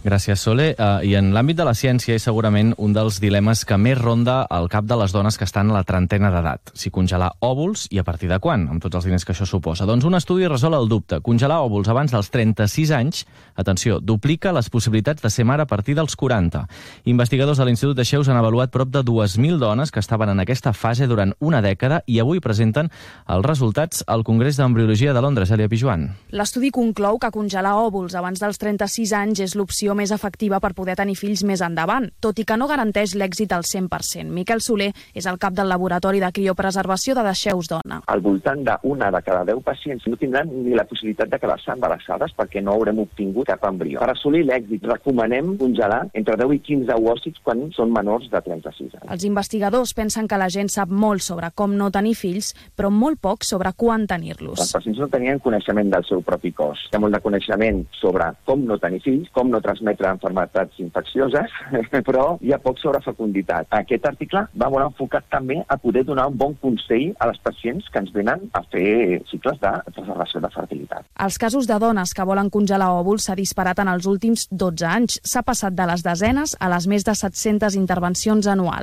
Gràcies, Sole. I en l'àmbit de la ciència és segurament un dels dilemes que més ronda al cap de les dones que estan a la trentena d'edat. Si congelar òvuls i a partir de quan, amb tots els diners que això suposa. Doncs un estudi resol el dubte. Congelar òvuls abans dels 36 anys, atenció, duplica les possibilitats de ser mare a partir dels 40. Investigadors de l'Institut de Xeus han avaluat prop de 2.000 dones que estaven en aquesta fase durant una dècada i avui presenten els resultats al Congrés d'Embriologia de Londres. Elia Pijuan. L'estudi conclou que congelar òvuls abans dels 36 anys és l'opció més efectiva per poder tenir fills més endavant, tot i que no garanteix l'èxit al 100%. Miquel Soler és el cap del laboratori de criopreservació de Dexeus Dona. Al voltant d'una de cada 10 pacients no tindran ni la possibilitat de quedar-se embarassades perquè no haurem obtingut cap embrió. Per assolir l'èxit recomanem congelar entre 10 i 15 ovòcits quan són menors de 36 anys. Els investigadors pensen que la gent sap molt sobre com no tenir fills, però molt poc sobre quan tenir-los. Els pacients no tenien coneixement del seu propi cos. Hi ha molt de coneixement sobre com no tenir fills, com no transmetre malalties infeccioses, però hi ha poc sobre fecunditat. Aquest article va molt enfocat també a poder donar un bon consell a les pacients que ens venen a fer cicles de preservació de fertilitat. Els casos de dones que volen congelar òvuls s'ha disparat en els últims 12 anys. S'ha passat de les desenes a les més de 700 intervencions anuals.